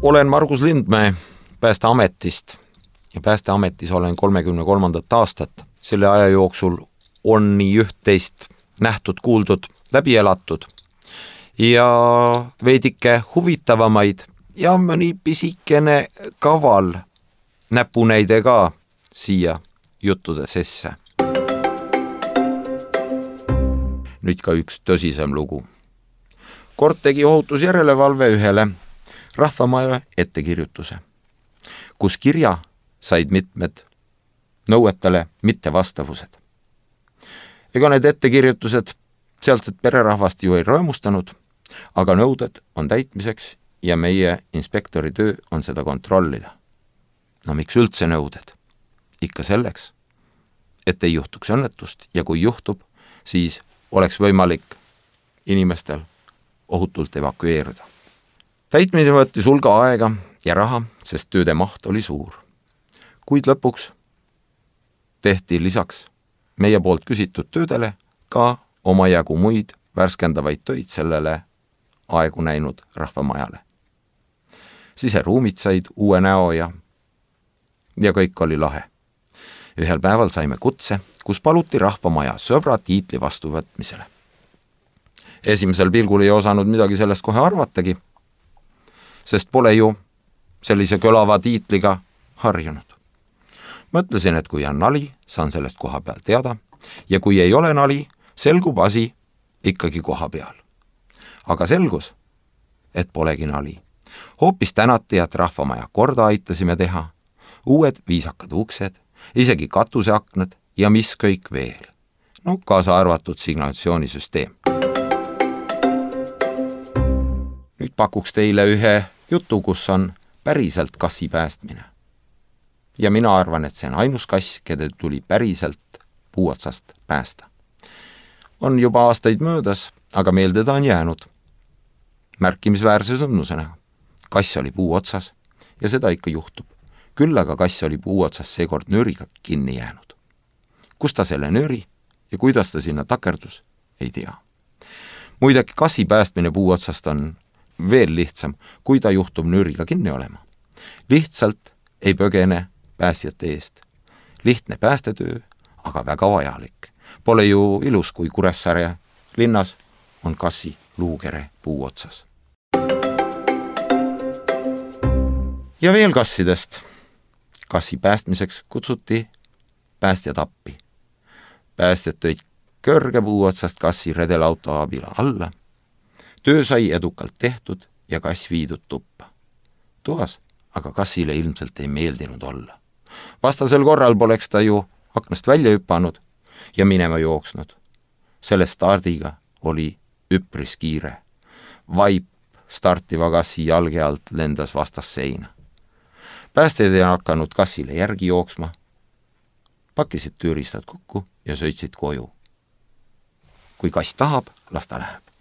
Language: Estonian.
Olen Margus Lindmäe Päästeametist ja Päästeametis olen 33. aastat. Selle aja jooksul on nii üht-teist nähtud, kuuldud, läbi elatud ja veidike huvitavamaid ja mõni pisikene kaval näpunäide ka siia juttude sisse. Nüüd ka üks tõsisem lugu. Kord tegi ohutusjärelevalve ühele rahvamaja ettekirjutuse, kus kirja said mitmed nõuetele mittevastavused. Ega need ettekirjutused sealset pererahvast ju ei rõõmustanud, aga nõuded on täitmiseks ja meie inspektori töö on seda kontrollida. No miks üldse nõuded? Ikka selleks, et ei juhtuks õnnetust ja kui juhtub, siis oleks võimalik inimestel ohutult evakueeruda. Täitmine võttis hulga aega ja raha, sest tööde maht oli suur. Kuid lõpuks tehti lisaks meie poolt küsitud töödele ka omajagu muid värskendavaid töid sellele aegu näinud rahvamajale. Siseruumid said uue näo ja kõik oli lahe. Ühel päeval saime kutse, kus paluti rahvamaja sõbra tiitli vastuvõtmisele. Esimesel pilgul ei osanud midagi sellest kohe arvatagi, sest pole ju sellise kõlava tiitliga harjunud. Mõtlesin, et kui on nali, saan sellest koha peal teada ja kui ei ole nali, selgub asi ikkagi koha peal. Aga selgus, et polegi nali. Hoopis tänati, et rahvamaja korda aitasime teha, uued viisakad uksed, isegi katuseaknad ja mis kõik veel. No kaasa arvatud signalisatsioonisüsteem. Nüüd pakuks teile ühe jutu, kus on päriselt kassi päästmine. Ja mina arvan, et see on ainus kass, keda tuli päriselt puuotsast päästa. On juba aastaid möödas, aga meelde ta on jäänud. Märkimisväärse sündmusena. Kass oli puuotsas ja seda ikka juhtub. Küll aga kass oli puuotsas seekord nööriga kinni jäänud. Kus ta selle nööri ja kuidas ta sinna takerdus, ei tea. Muidagi kassi päästmine puuotsast on veel lihtsam, kui ta juhtub nööriga kinni olema. Lihtsalt ei põgene päästjate eest. Lihtne päästetöö, aga väga vajalik. Pole ju ilus, kui Kuressaare linnas on kassi luukere puuotsas. Ja veel kassidest. Kassi päästmiseks kutsuti päästjad appi. Päästjad tõid kõrge puuotsast kassi redelauto abila alla. Töö sai edukalt tehtud ja kass viidud tuppa. Toas aga kassile ilmselt ei meeldinud olla. Vastasel korral poleks ta ju aknast välja hüpanud ja minema jooksnud. Selle stardiga oli üpris kiire. Vaip startiva kassi jalge alt lendas vastas seina. Päästjad ei hakanud kassile järgi jooksma, pakkisid tööriistad kokku ja sõitsid koju. Kui kass tahab, las ta läheb.